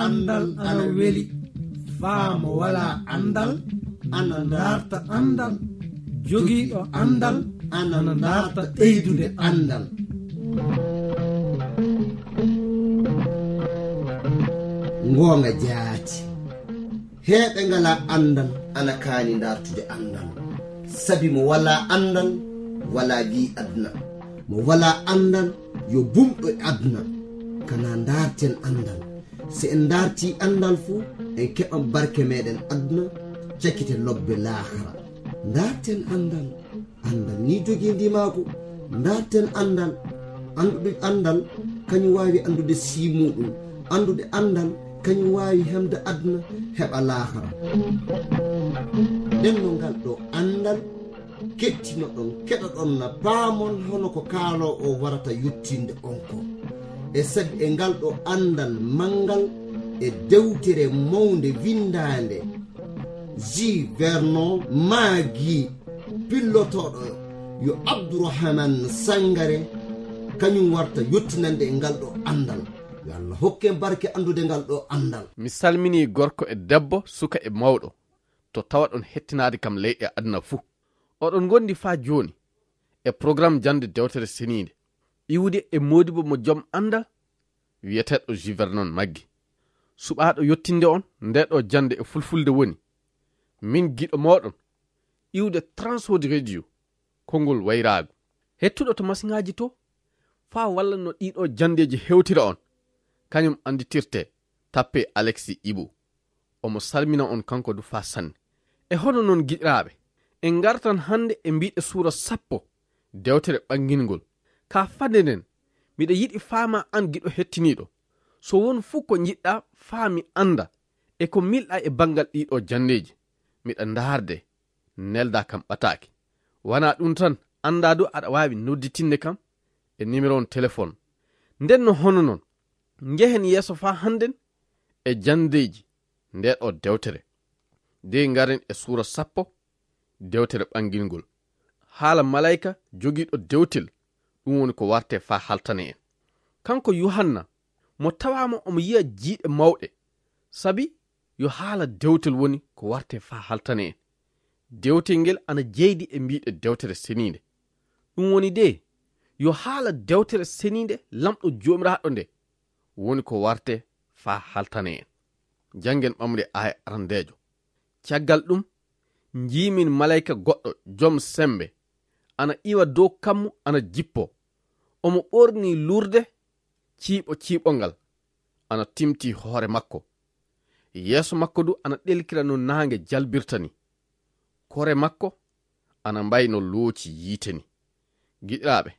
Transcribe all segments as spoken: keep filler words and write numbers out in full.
Anndal ana weli. Faa mo walaa anndal ana ndaarta anndal. Jogiiɗo anndal ana ndaarta ɓeydude anndal. Ngoonga jaati. Heeɓe ngalaa anndal ana kaani ndaartude anndal. Sabi mo walaa anndal, walaa ley aduna. Mo walaa anndal, yo bumɗo e aduna. Kanaa ndaarten anndal. Si en ndaartii anndal fu, en keɓan barke meeɗen aduna, cakkite lobbe laakara. Ndaarten anndal. Anndal ni jogii ndimaagu. Ndaarten anndal. Anndude anndal, kañum waawi anndude sii muuɗum. Anndude anndal, kañum waawi heɓde aduna, heɓa laakara. Nden no ngal ɗo anndal, kettinoɗon, keɗoɗon na paamon hono ko kaaloowo o warata yottinde on ko. E sabi e ngal ɗo anndal manngal e dewtere mawnde winndaande, J. Vernon Maggi, pillotooɗo yo Abdourahmane Sangare, kañum warta yottinande e ngal ɗo anndal. Yo Allah hokken barke anndude ngal ɗo anndal. Mi salminii gorko e debbo, suka e mawɗo, to tawaɗon hettinaade kam ley e aduna fuu. Oɗon ngondi faa jooni e programme jannde dewtere seniinde, iwde e moodibo mo jom anndal, wiyeteeɗo J. Vernon Maggi. Suɓaaɗo yottinde on nde ɗo jannde e fulfulde woni min giɗo mooɗon, iwde Transworld Radio, konngol wayraagu. Hettuɗo to masiŋaaji to, faa walla no ɗiɗo janndeeji hewtira on, kañum annditirte, tappe Alexis Ibu. Omo salmina on kanko du faa sanne. E hono noon, giɗiraaɓe, en ngartan hannde e mbiɗe suura sappo, dewtere ɓangingol. Ka fande nden, miɗa yiɗi faama an giɗo hettiniiɗo, so won fuu ko njiɗɗa faa mi annda e ko milɗa e banngal ɗiɗo janndeeji, miɗa ndaarde, nelda kam ɓataake. Wanaa ɗum tan, annda du aɗa waawi nodditinde kam e numéro on téléphone. Nden no hono noon, njehen yeeso faa hannden e janndeeji nde ɗo dewtere. De ngaren e suura sappo, dewtere ɓangingol. Haala malayka jogiiɗo dewtel, ɗum woni ko warte faa haltane en. Kanko Yuhanna, mo tawaama omo yiya jiiɗe mawɗe, sabi yo haala dewtel woni ko warte faa haltane en. Dewtel ngel ana jeydi e mbiɗe dewtere seniinde. Ɗum woni de, yo haala dewtere seniinde Lamɗo Joomiraaɗo nde woni ko warte faa haltane en. Janngen ɓamre aaya arandeejo. Caggal ɗum, njiimin malayka goɗɗo jom sembe ana iwa dow kammu ana jippo. Omo ɓorni lurde ciiɓo ciiɓongal ana timti hoore makko. Yeeso makko du ana ɗelkira no naange jalbirta ni. Kore makko ana mbayi no looci yiite ni. Giɗiraaɓe,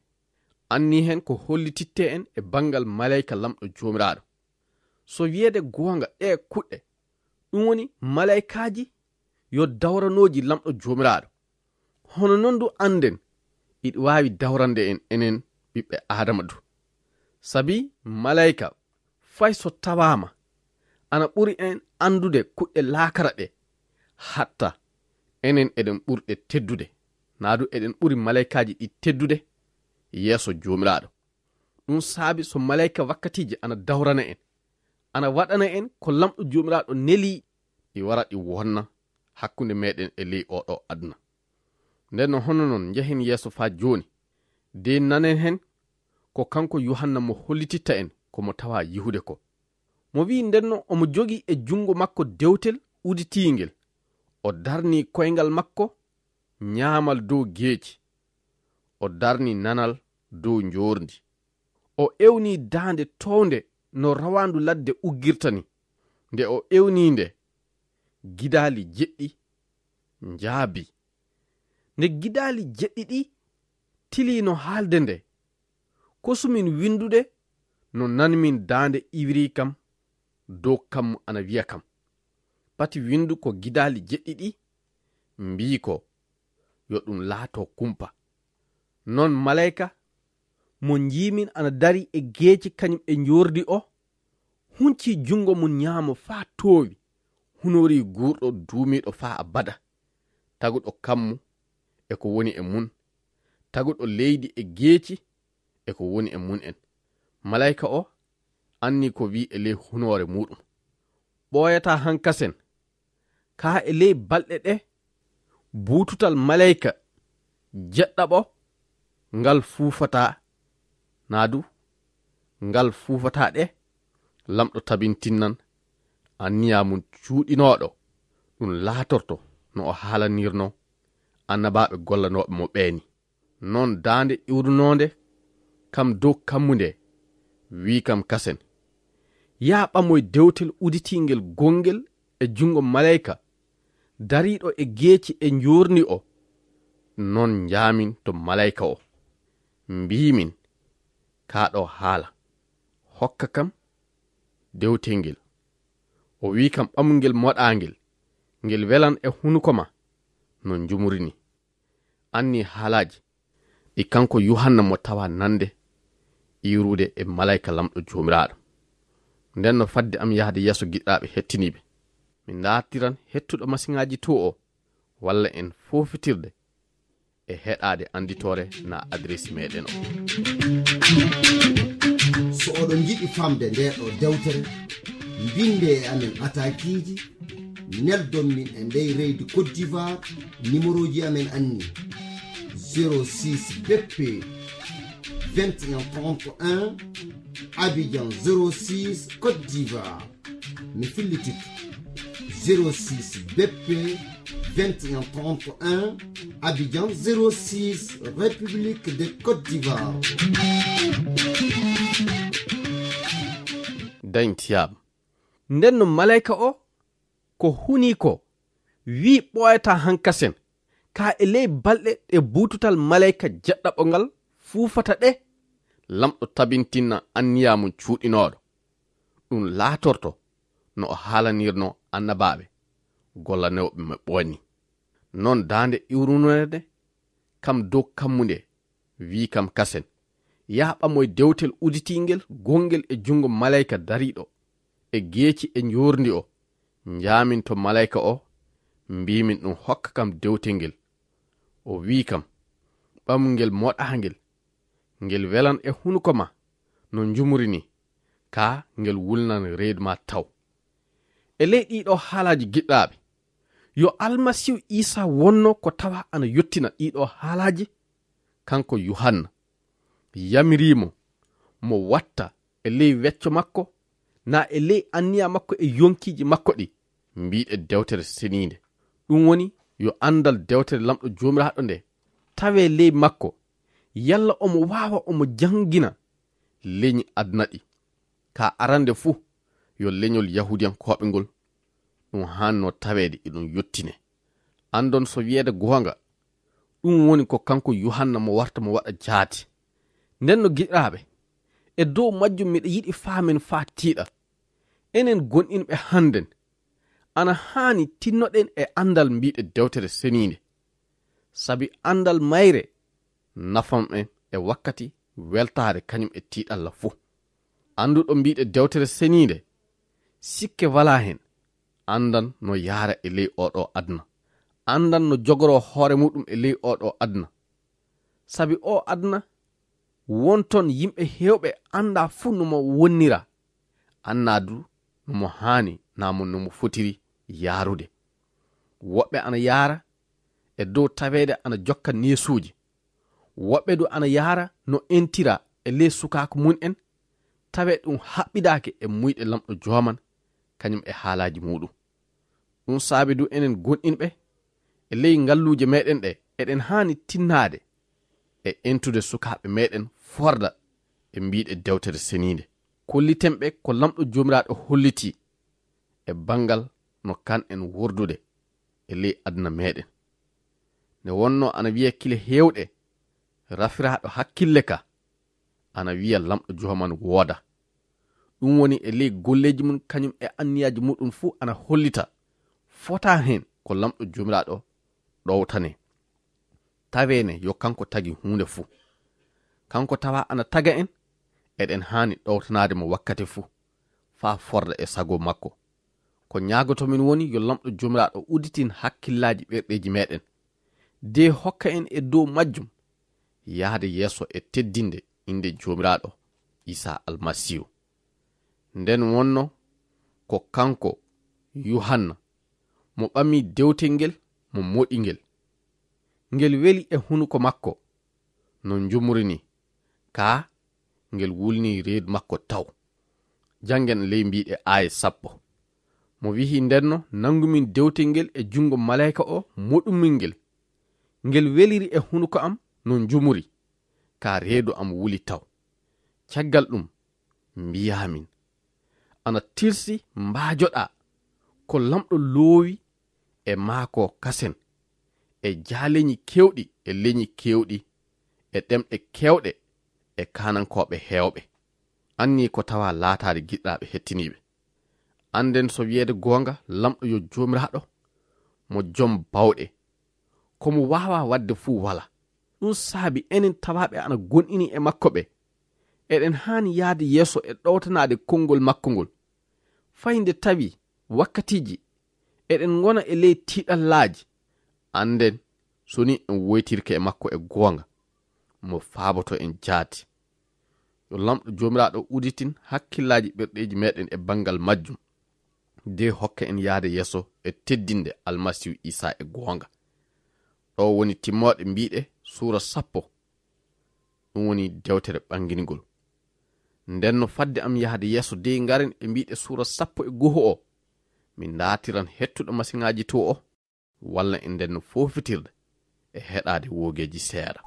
anni hen ko hollititte en e banngal malayka Lamɗo Joomiraaɗo. So wiyeede goonga, ɗee kuɗɗe, ɗum woni malaykaaji yo dawranooji Lamɗo Joomiraaɗo. Hono noon du annden, iɗi waawi dawrande en enen ɓiɓɓe Aadama du. Sabi malayka, fay so tawaama, ana ɓuri en anndude kuɗɗe laakara ɗe, hatta enen eɗen ɓuri ɗe teddude, naa du eɗen ɓuri malaykaaji ɗi teddude yeeso Joomiraaɗo. Ɗum saabi so malayka wakkatiiji ana dawrana en, ana waɗana en ko Lamɗo Joomiraaɗo neli, ɗi wara ɗi wonna hakkunde meɗen e ley oo ɗoo aduna. Nden no hono noon njehen yeeso faa jooni, de nanen hen ko kanko Yuhanna mo hollititta en ko mo tawa yihude ko. Mo wi'i nden no omo jogii e junngo makko dewtel uditiingel. O darni koyngal makko nyaamal dow geeci. O darni nanal dow njoorndi. O ewni daande toownde no rawaandu ladde uggirta ni. Nde o ewni nde, gidaali jeɗɗi njaabi. Nde gidaali jeɗɗi ɗi tiliino haalde nde, kosumin winndude no nanimin daande iwri kam dow kammu ana wiya kam. Pati winndu ko gidaali jeɗɗi ɗi mbii ko, yo ɗum laato kumpa. Non malayka mo njiimin ana dari e geeci kañum e njoorndi o, hunci junngo mum nyaamo faa toowi, hunori guurɗo duumiiɗo faa abada, taguɗo kammu e ko woni e mum, taguɗo leydi e geeci e ko woni e mum en. Malayka o anni ko wi'i e ley hunoore muuɗum. ɓooyataa hankasen, kaa e ley balɗe ɗe buututal maleyka jeɗɗaɓo ngal fuufataa, naa du ngal fuufataa ɗe, Laamɗo tabintinan anniya mum cuuɗinooɗo, ɗum laatorto no o haalanirnoo annabaaɓe gollanooɓe mo ɓeeni. Non daande iwrunoonde kam dow kammu nde wi'i kam kasen, yaa ɓamoy dewtel uditiingel gongel e junngo maleyka dariiɗo e geeci e njoorndi o. Non njaamin to maleyka o, mbiimin, kaa ɗo haala, hokka kam dewtel ngel. O wi'i kam, ɓamu ngel moɗaangel, ngel welan e hunuko ma no njumuri ni. Anni haalaaji ɗi kanko Yuhanna mo tawa nande iwrude e maleyka Laamɗo Joomiraaɗo. Nden no fadde am yahde yeeso giɗɗaaɓe hettiniiɓe. Mi naatiran hettuɗo masiŋaaji to o, walla en foofitirde e heɗaade annditoore na adresi meɗen o. So oɗon njiɗi famde nde ɗo dewtere, mbinde e amen atakiiji, neldon min e ndey reydi Côte d'Ivoire, numéroji amen anni: zéro six B P vingt et un trente et un, Abidjan zéro six, Côte d'Ivoire. Mi fillititto: zéro six B P vingt et un trente et un, Abidjan zéro six, République de Côte d'Ivoire. Dañtiyaam. Nden no maleyka o ko huni ko, wi'i ɓooyataa hankasen, kaa e ley balɗe ɗe buututal maleyka jeɗɗaɓo ngal fuufata ɗe, Laamɗo tabintina anniya mum cuuɗinooɗo. Ɗum laatorto no o haalanirnoo annabaaɓe gollanooɓe mo ɓoonni. Non daande iwrunoonde kam dow kammu nde wi'i kam kasen, yaa ɓamoy dewtel uditiingel gongel e junngo maleyka dariiɗo e geeci e njoorndi o. Njaamin to maleyka o, mbiimin ɗum hokka kam dewtel ngel. O wi'i kam, ɓamu ngel moɗaangel, ngel welan e hunuko ma no njumuri ni, kaa ngel wulnan reedu ma taw. E ley ɗiɗo haalaaji giɗɗaaɓe, yo Almasiihu Iisaa wonno ko tawa ana yottina ɗiɗo haalaaji, kanko Yuhanna yamirii mo, mo watta e ley wecco makko, naa e ley anniya makko e yonkiiji makko ɗi, mbiiɗe dewtere seniinde. Ɗum woni yo anndal dewtere Laamɗo Joomiraaɗo nde tawee ley makko, yalla omo waawa omo janngina leñi aduna ɗi. Ka arande fuu, yo leñol Yahuudiyankooɓe ngol, ɗum haanno taweede eɗum yottine. Anndon so wiyeede goonga, ɗum woni ko kanko Yuhanna mo warta mo waɗa jaati. Nden no giɗaaɓe, e dow majjum miɗa yiɗi faamen faa tiiɗa. Enen gonɗinɓe hannden, ana haani tinnoɗen e anndal mbiiɗe dewtere seniinde. Sabi anndal mayre nafan en e wakkati weltaare kañum e tiiɗalla fuu. Annduɗo mbiiɗe dewtere seniinde, sikke walaa heen, anndan no yaara e ley oo ɗoo aduna. Anndan no jogoroo hoore muuɗum e ley oo ɗoo aduna. Sabi oo aduna, won toon yimɓe heewɓe anndaa fuu no mo wonnira, anndaa du no mo haani naa mo no mo fotiri yaarude. Woɓɓe ana yaara e dow taweede ana jokka neesuuji. Woɓɓe du ana yaara no entira e ley sukaaku mum en, tawee ɗum haɓɓidaaki e muyɗe Laamɗo Jooman, kañum e haalaaji muuɗum. Ɗum saabi du enen gonɗinɓe e ley ngalluuje meɗen ɗe, eɗen haani tinnaade e entude sukaaɓe meɗen forda e mbiiɗe dewtere seniinde. Kolliten ɓe ko Laamɗo Joomiraaɗo hollitii e banngal no kan en wordude e ley aduna meɗen. Ne wonno ana wiya kile heewɗe, rafiraaɗo hakkille ka, ana wiya Laamɗo Jooman wooda. Ɗum woni e ley golleeji mum kañum e anniyaaji muɗum fuu ana hollita, fota heen ko Laamɗo Joomiraaɗo ɗowtane. Taweene yo kanko tagi huunde fuu. Kanko tawa ana taga en, eɗen haani ɗowtanaade mo wakkati fuu, faa forda e sago makko. Ko ñaagotomin woni yo Laamɗo Joomiraaɗo udditin hakkillaaji ɓerɗeeji meɗen, de hokka en e dow majjum yahde yeeso e teddinde innde Joomiraaɗo Iisaa Almasiihu. Nden wonno ko kanko Yuhanna, mo ɓami dewtel ngel, mo moɗi ngel. Ngel weli e hunuko makko, no njumri ni, kaa ngel wulni reedu makko taw. Janngen ley mbiiɗe aaye sappo. Mo wi'i, "Ndenno, nanngumin dewtel ngel e junngo maleyka o, moɗumin ngel. Ngel weliri e hunuko am no njumri, kaa reedu am wuli taw. Caggal ɗum, mbiyaamin, ana tilsi mbaajoɗaa ko Lamɗo loowi e maako kasen, e jaaleñi keewɗi, e leñi keewɗi, e ɗemɗe keewɗe, e kaanankooɓe heewɓe." Anni ko tawa laataade giɗɗaaɓe hettiniiɓe. Annden so wiyeede goonga, Lamɗo yo Joomiraaɗo, mo jom bawɗe, ko mo waawaa waɗde fuu walaa. Ɗum saabi enen tawaaɓe ana gonɗini e makko ɓe, eɗen haani yahde yeeso e ɗowtanaade konngol makko ngol. Fay nde tawi wakkatiiji eɗen ngona e ley tiiɗallaaji, annden so ni en woytirke e makko e goonga, mo faaboto en jaati. Yo Lamɗo Joomiraaɗo uditin hakkillaaji ɓerɗeeji meɗen e banngal majjum, de hokka en yahde yeeso e teddinde Almasiihu Iisaa e goonga. Ɗo woni timmooɗe mbiiɗe suura sappo. Ɗum woni dewtere ɓanngingol. Nden no fadde am yahde yeeso de ngaren e mbiiɗe suura sappo e goho o, min ndaatiran hettuɗo masiŋaaji to o, walla e nden no foofitirde e heɗaade woogeeji seeɗa.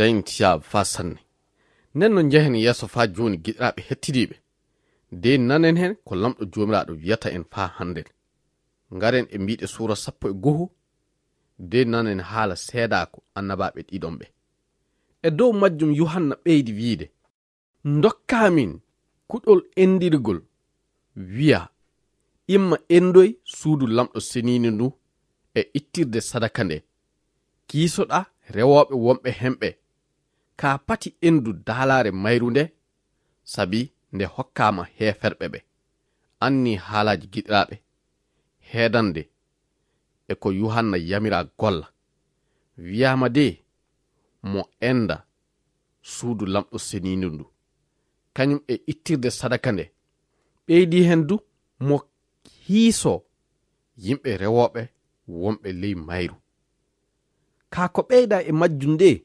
Dañti yaa faa sanne. Nden no njehen yeeso faa jooni, giɗiraaɓe hettiniiɓe. De nanen hen ko Lamɗo Joomiraaɗo wiyata en faa hannden. Ngaren e mbiiɗe suura sappo e goho, de nanen haala seedaaku annabaaɓe ɗiɗon ɓe. E dow majjum Yuhanna ɓeydi wiide, "Ndokkaa min kuɗol endirgol, wiya, 'Imma endoy suudu Lamɗo seniindu ndu e ittirde sadaka nde. Kiisoɗaa rewooɓe wonɓe hen ɓe, kaa pati endu daalaare mayru nde, sabi nde hokkaama heeferɓe ɓe.'" Anni haalaaji giɗiraaɓe, heedande e ko Yuhanna yamiraa golla. Wiyaama de, "Mo enda suudu Lamɗo seniindu ndu, kañum e ittirde sadaka nde. Ɓeydi hen du, mo hiiso yimɓe rewooɓe wonɓe ley mayru. Kaa ko ɓeyda e majjum nde,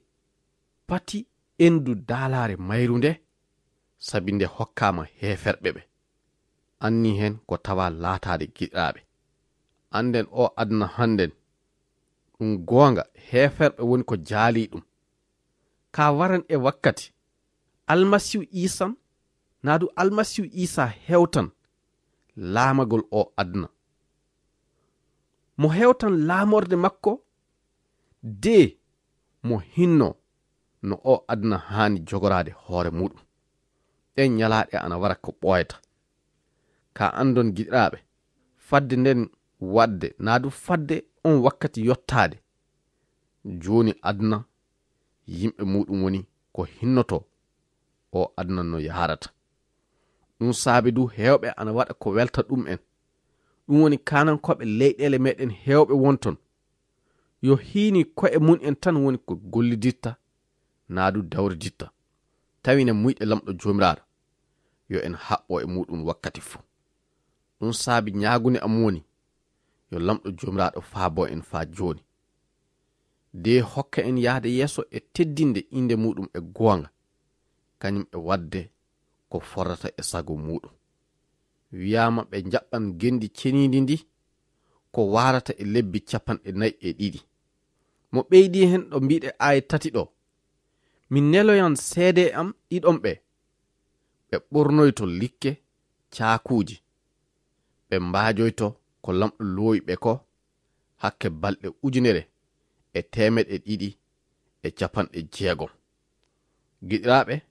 pati endu daalaare mayru nde, sabi nde hokkaama heeferɓe ɓe." Anni hen ko tawa laataade giɗiraaɓe. Annden o aduna hannden, ɗum goonga, heeferɓe woni ko jaalii ɗum. Kaa waran e wakkati, Almasiihu Iisan, naa du Almasiihu Iisa hewtan laamagol o aduna. Mo hewtan laamorde makko, de mo hinno no o aduna haani jogoraade hoore muuɗum. Ɗen ñalaaɗe ana wara ko ɓooyata. Ka anndon giɗiraaɓe, fadde nden waɗde, naa du fadde on wakkati yottaade, jooni aduna yimɓe muɗum woni ko hinnoto o aduna no yaharata. Ɗum saabi du heewɓe ana waɗa ko welta ɗum en. Ɗum woni kaanankooɓe leyɗeele meɗen heewɓe won ton. Yo hiini ko'e mum en tan woni ko golliditta, naa du dawriditta. Tawi ne muyɗe Lamɗo Joomiraaɗo, yo en haɓɓo e muɗum wakkati fuu. Ɗum saabi ñaagunde am woni, yo Lamɗo Joomiraaɗo faabo en faa jooni. De hokka en yahde yeeso e teddinde innde muɗum e goonga, kañum e waɗde ko fordata e sago muɗum. Wiyaama ɓe njaɓɓan ngenndi ceniindi ndi, ko waarata e lebbi capanɗe nayi e ɗiɗi. Mo ɓeydi heen ɗo mbiɗe aaya tati ɗo, mi neloyan seede am ɗiɗon ɓe, ɓe ɓornoyto likke caakuuji, ɓe mbaajoyto ko Lamɗo loowi ɓe ko hakke balɗe ujunere e teemeɗe ɗiɗi e capanɗe jeegom. Giɗiraaɓe,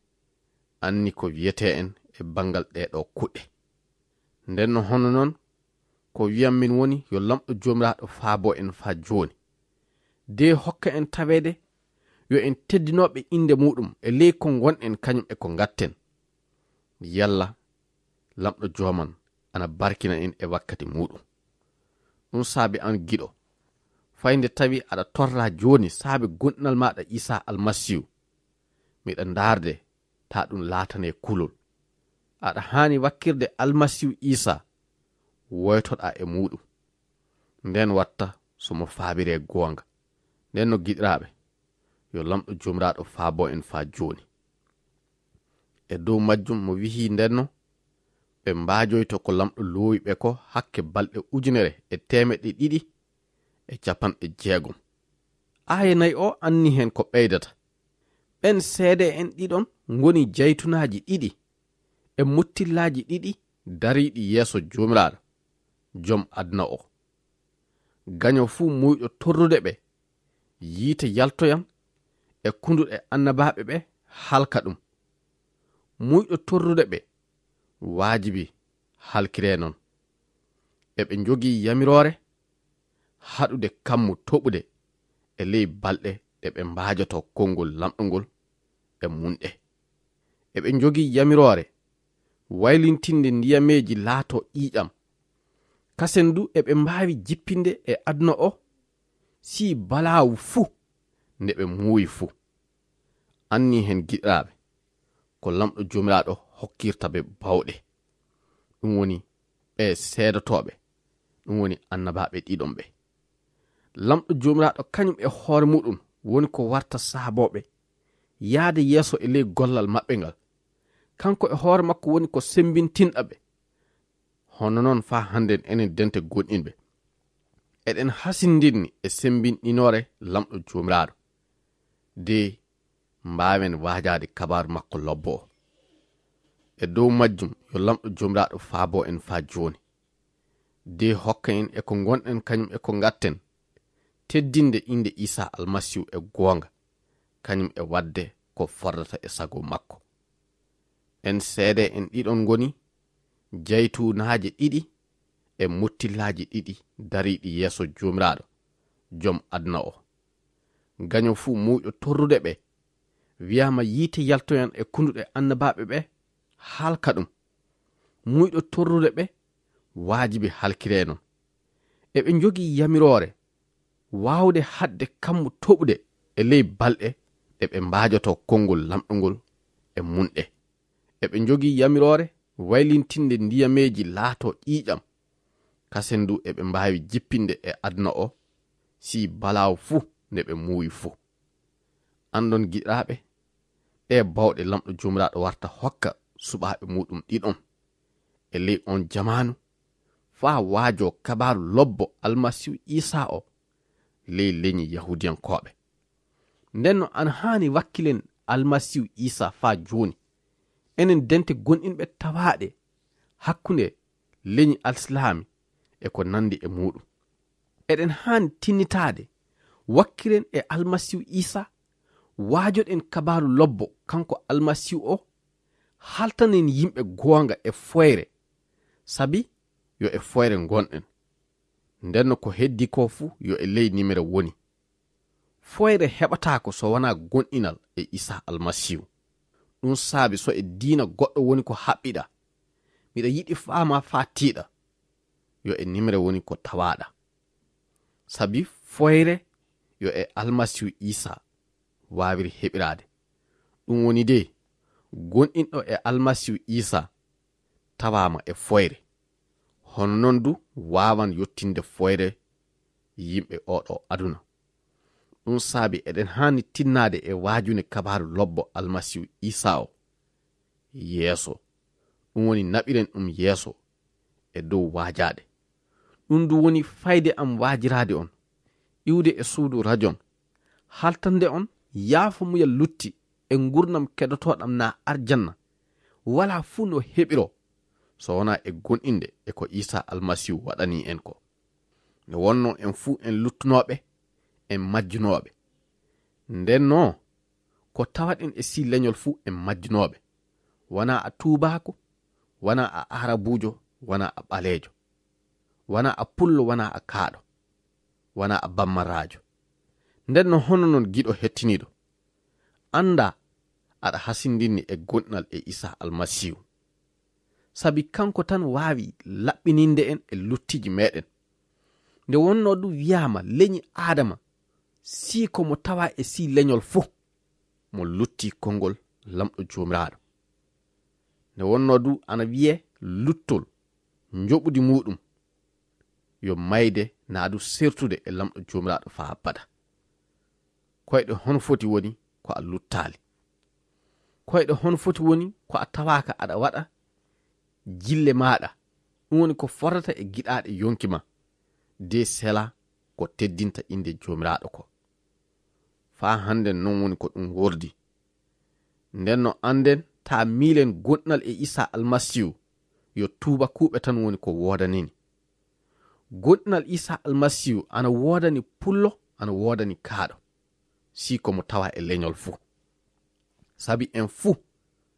anni ko wiyetee en e banngal ɗee ɗoo kuɗɗe. Nden no hono noon, ko wiyan min woni yo Lamɗo Joomiraaɗo faabo en faa jooni. De hokka en taweede yo en teddinooɓe innde muɗum e ley ko ngonɗen kañum e ko ngatten. Yalla Lamɗo Jooman ana barkina en e wakkati muɗum. Ɗum saabi an giɗo, fay nde tawi aɗa torra jooni saabe gonɗinal maaɗa Iisaa Almasiihu, miɗa ndaarde taa ɗum laatanee kulol. Aɗa haani wakkirde Almasiihu Iisaa, woytoɗaa e muɗum. Nden watta so mo faabiree goonga. Nden no giɗiraaɓe, yo Lamɗo Joomiraaɗo faabo en faa jooni. E dow majjum mo wihi ndenno, ɓe mbaajoyto ko Lamɗo loowi ɓe ko hakke balɗe ujunere e teemeɗɗe ɗiɗi e capanɗe jeegom. Aaya nayi o anni heen ko ɓeydata. Ɓen seede en ɗiɗon ngoni jaytunaaji ɗiɗi e muttillaaji ɗiɗi dariiɗi yeeso Joomiraaɗo, Joom aduna o. Gaño fuu muuyɗo torrude ɓe, yiite yaltoyan e kunduɗe annabaaɓe ɓe halka ɗum. Muuyɗo torrude ɓe, waajibi halkiree non. Eɓe njogii yamiroore haɗude kammu toɓude e ley balɗe ɗe ɓe mbaajotoo konngol lamɗungol e munɗe. Eɓe njogii yamiroore waylintinde ndiyameeji laatoo ƴiiƴam. Kasen du eɓe mbaawi jippinde e aduna o, si balaawu fuu nde ɓe muuyi fuu. Anni heen giɗiraaɓe, ko Lamɗo Joomiraaɗo hokkirta ɓe bawɗe. Ɗum woni ɓe seedotooɓe, ɗum woni annabaaɓe ɗiɗon ɓe. Lamɗo Joomiraaɗo kañum e hoore muɗum woni ko warta saabooɓe yaade yeeso e ley gollal maɓɓe ngal. Kanko e hoore makko woni ko sembintinɗa ɓe. Hono noon faa hannden enen dente gonɗinɓe, eɗen hasindinni e sembinɗinoore Lamɗo Joomiraaɗo, de mbaawen waajaade kabaaru makko lobbo o. E dow majjum yo Lamɗo Joomiraaɗo faabo en faa jooni. De hokka en e ko ngonɗen kañum e ko ngatten, teddinde innde Iisaa Almasiihu e goonga, kañum e waɗde ko fordata e sago makko. En seede en ɗiɗon ngoni jaytunaaje ɗiɗi e muttillaaji ɗiɗi dariiɗi yeeso Joomiraaɗo, Joom aduna o. Gaño fuu muuyɗo torrude ɓe, wiyaama yiite yaltoyan e kunduɗe annabaaɓe ɓe, halka ɗum. Muuyɗo torrude ɓe, waajibi halkiree non. Eɓe njogii yamiroore waawde haɗde kammu toɓude e ley balɗe ɗe ɓe mbaajotoo konngol lamɗungol e munɗe. Eɓe njogii yamiroore waylintinde ndiyameeji laatoo ƴiiƴam. Kasen du eɓe mbaawi jippinde e aduna o, si balaawu fuu nde ɓe muuyi fuu. Anndon giɗiraaɓe, ɗe bawɗe Lamɗo Joomiraaɗo warta hokka suɓaaɓe muɗum ɗiɗon e ley on jamaanu, faa waajoo kabaaru lobbo Almasiihu Iisaa o ley leñi Yahuudiyankooɓe. Nden no ana haani wakkilen Almasiihu Iisaa faa jooni, enen dente gonɗinɓe tawaaɗe hakkunde leñi Alsilaami e ko nanndi e muɗum. Eɗen haani tinnitaade, wakkilen e Almasiihu Iisaa, waajoɗen kabaaru lobbo kanko Almasiihu o, haltanen yimɓe goonga e foyre, sabi yo e foyre ngonɗen. Nden no ko heddi ko fuu yo e ley nimere woni. Foyre heɓataako so wonaa gonɗinal e Iisaa Almasiihu. Ɗum saabi so e diina goɗɗo woni ko haɓɓiɗaa, miɗa yiɗi faamaa faa tiiɗa, yo e nimre woni ko tawaaɗaa. Sabi foyre yo e Almasiihu Iisaa waawiri heɓiraade. Ɗum woni de, gonɗinɗo e Almasiihu Iisaa tawaama e foyre. Hono noon du waawan yottinde foyre yimɓe oo ɗoo aduna. Ɗum saabi eɗen haani tinnaade e waajune Kabaaru Lobbo Almasiihu Iisaa o yeeso. Ɗum woni naɓiren ɗum yeeso e dow waajaade. Ɗum du woni fayde am waajiraade on, iwde e suudu rajon, haltande on yaafo muyal lutti e ngurnam kedotooɗam naa arjanna. Walaa fuu no heɓiroo so wonaa e gonɗinde e ko Iisaa Almasiihu waɗanii en ko. Nde wonnoo en fuu en luttunooɓe, en majjunooɓe. Ndennoo, ko tawaɗen e sii leñol fuu en majjunooɓe. Wanaa a tuubaaku, wanaa a aarabuujo, wanaa a ɓaleejo, wanaa a pullo, wanaa a kaaɗo, wanaa a bammaraajo. Ndennoo hono noon giɗo hettiniiɗo, anndaa aɗa hasindinni e gonɗinal e Iisaa Almasiihu. Sabi kanko tan waawi laɓɓininde en e luttiiji meeɗen. Nde wonnoo ɗum wiyaama leñi Aadama, sii ko mo tawaa e sii leñol fuu, mo luttii konngol Laamɗo Joomiraaɗo. Nde wonnoo du ana wiyee luttol njoɓudi muuɗum, yo mayde naa du sertude e Laamɗo Joomiraaɗo faa abada. Koyɗe hono foti woni ko a luttaali? Koyɗe hono foti woni ko a tawaaka aɗa waɗa jille maaɗa, ɗum woni ko fotata e giɗaaɗe yonki ma, de sela ko teddinta innde Joomiraaɗo ko. Faa hannden noon woni ko ɗum wordi. Nden no annden taa miilen goɗɗinal e Iisaa Almasiihu, yo tuubakuuɓe tan woni ko woodanini. Goɗɗinal Iisaa Almasiihu ana woodani pullo, ana woodani kaaɗo, sii ko mo tawa e leñol fuu. Sabi en fuu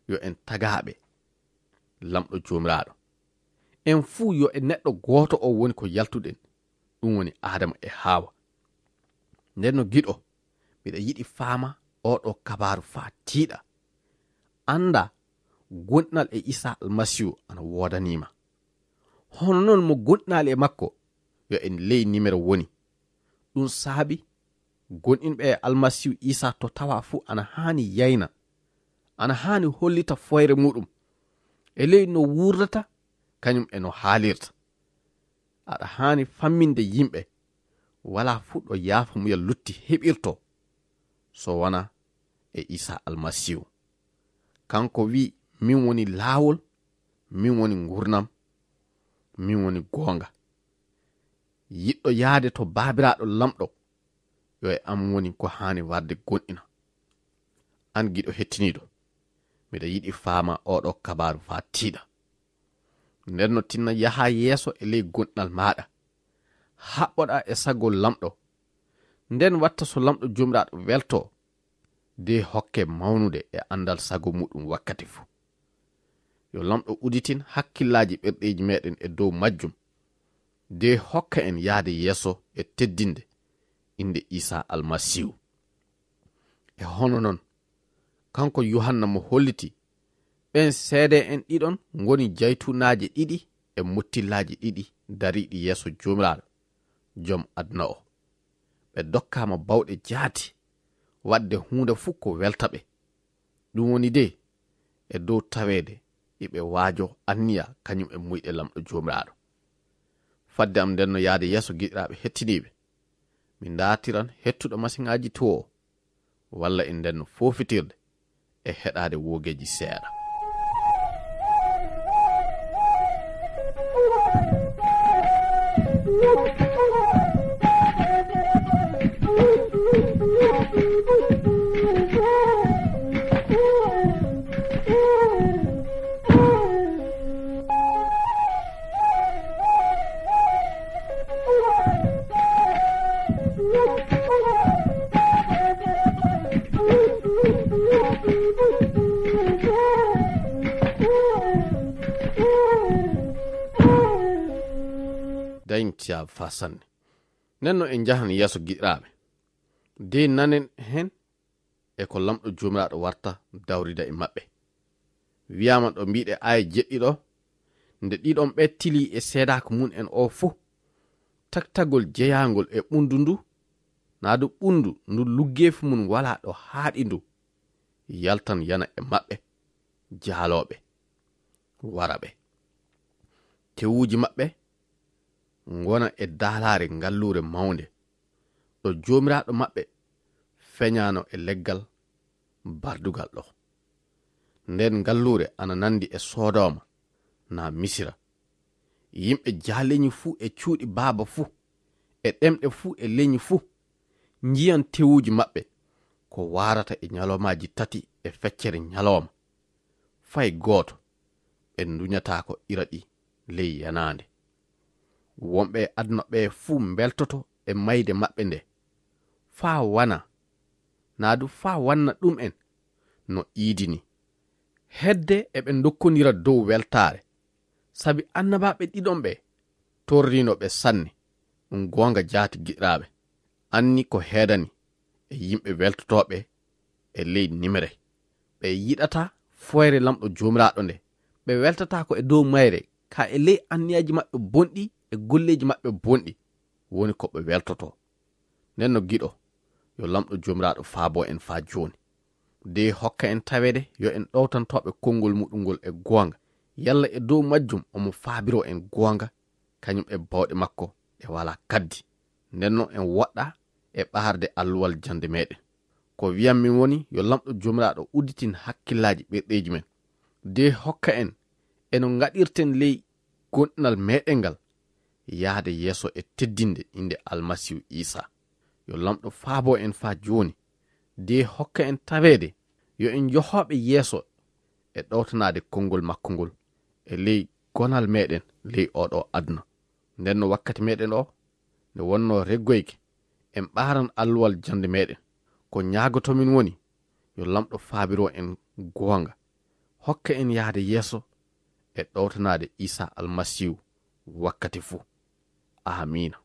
yo en tagaaɓe Laamɗo Joomiraaɗo. En fuu yo e neɗɗo gooto o woni ko yaltuɗen, ɗum woni Aadama e Haawa. Nden no giɗo, miɗa yiɗi faama oo ɗoo kabaaru faa tiiɗa. Annda goɗɗinal e Iisaa Almasiihu ana woodanii ma. Hono noon mo goɗɗinaali e makko, yo en ley nimero woni. Ɗum saabi goɗɗinɓe e Almasiihu Iisaa to tawaa fuu ana haani yayna, ana haani hollita foyre muuɗum e ley no wuurdata, kañum e no haalirta. Aɗa haani famminde yimɓe walaa fuu ɗo yaafamuyal lutti heɓirtoo so wonaa e Iisaa Almasiihu. Kanko wi'i, "Min woni laawol, min woni ngurnam, min woni goonga. Yiɗɗo yahde to Baabiraaɗo Laamɗo, yo e am woni ko haani warde goɗɗina." Aan giɗo hettiniiɗo, miɗa yiɗi faama oo ɗoo kabaaru faa tiiɗa. Nden no tinna yaha yeeso e ley goɗɗinal maaɗa. Haɓɓoɗaa e sago Laamɗo. Nden watta so Laamɗo Joomiraaɗo weltoo, de hokke mawnude e anndal sago muuɗum wakkati fuu. Yo Laamɗo uditin hakkillaaji ɓerɗeeji meeɗen e dow majjum, de hokka en yahde yeeso e teddinde innde Iisaa Almasiihu. E hono noon, kanko Yuhanna mo holliti ɓeen seedee'en ɗiɗon ngoni jaytuunaaje ɗiɗi e mottillaaji ɗiɗi dariiɗi yeeso Joomiraaɗo, Jom aduna o. Ɓe dokkaama bawɗe jaati waɗde huunde fuu ko welta ɓe. Ɗum woni de, e dow taweede iɓe waajoo anniya kañum e muyɗe Laamɗo Joomiraaɗo. Fadde am nden no yahde yeeso giɗiraaɓe hettiniiɓe, mi ndaartiran hettuɗo masiŋaaji too o, walla en nden no foofitirde e heɗaade woogeeji seeɗa. Dañtiya fa sanne. Nden no en njahan yeeso giɗiraaɓe. De nanen hen e ko Laamɗo Joomiraaɗo warta dawrida e maɓɓe. Wiyaama ɗo mbiɗe aaya jeɗɗi ɗo, nde ɗiɗon ɓe tilii e seedaaku mum en o fuu, taktagol jeyaangol e ɓunndu ndu, naa du ɓunndu ndu luggeefi mum walaa ɗo haaɗi ndu, yaltan yana e maɓɓe, jaalooɓe, wara ɓe. Tewuuji maɓɓe ngona e daalaare ngalluure mawnde, ɗo Joomiraaɗo maɓɓe feñaano e leggal bardugal ɗo. Nden ngalluure ana nandi e Sodooma naa Misira. Yimɓe jaaleñi fuu e cuuɗi baaba fuu, e ɗemɗe fuu e leñi fuu, njiyan tewuuji maɓɓe ko waarata e ñaloomaaji tati e feccere ñalooma. Fay gooto ɓe nduñataako ira ɗi ley yanaande. Wonɓe e aduna ɓe fuu mbeltoto e mayde maɓɓe nde, faa wana, naa du faa wanna ɗum'en no iidi ni. Hedde eɓe ndokkonira dow weltaare, sabi annabaaɓe ɗiɗon ɓe torriino ɓe sanne. Ɗum goonga, jaati giɗiraaɓe, anni ko heedani e yimɓe weltotooɓe e ley nimre. Ɓe yiɗata foyre Laamɗo Joomiraaɗo nde. Ɓe weltataako e dow mayre, ka e ley anniyaaji maɓɓe bonɗi e golleeji maɓɓe bonɗi woni ko ɓe weltotoo. Nden no giɗo, yo Laamɗo Joomiraaɗo faabo en faa jooni. De hokka en taweede yo en ɗowtantooɓe konngol muɗum ngol e goonga, yalla e dow majjum omo faabiroo en goonga, kañum e bawɗe makko ɗe walaa kaddi. Nden non en woɗɗa e ɓaarde alluwal jannde meɗen. Ko wiyan min woni yo Laamɗo Joomiraaɗo udditin hakkillaaji ɓerɗeeji men. De hokka en e no ngaɗirten ley gonɗinal meɗen ngal, yaade yeeso e teddinde innde Almasiihu Iisaa. Yo Laamɗo faabo en faa jooni, de hokka en taweede yo en johooɓe yeeso e ɗowtanaade konngol makko ngol e ley gonal meɗen ley oo ɗoo aduna. Nden no wakkati meɗen o nde wonnoo reggoyke, en ɓaaran alluwal jannde meɗen. Ko ñaagotomin woni yo Laamɗo faabiro en goonga, hokka en yahde yeeso e ɗowtanaade Iisaa Almasiihu wakkati fuu. Aamiina.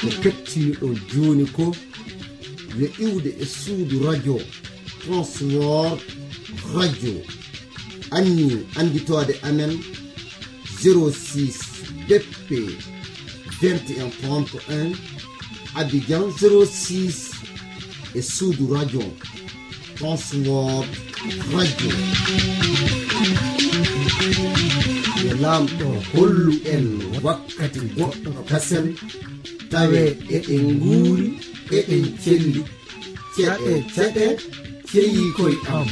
Ko kettiniɗon jooni ko yo iwde e suudu radio Transworld Radio. Anni annditoode amen zéro six B P vingt et un trente et un, Abidjan zéro six, e suudu radio Transworld Radio. Yo Laamɗo hollu en wakkati goɗɗo kasen, tawe eɗen nguuri, eɗen celli. Ceɗe, ceɗe, ceyi koy am.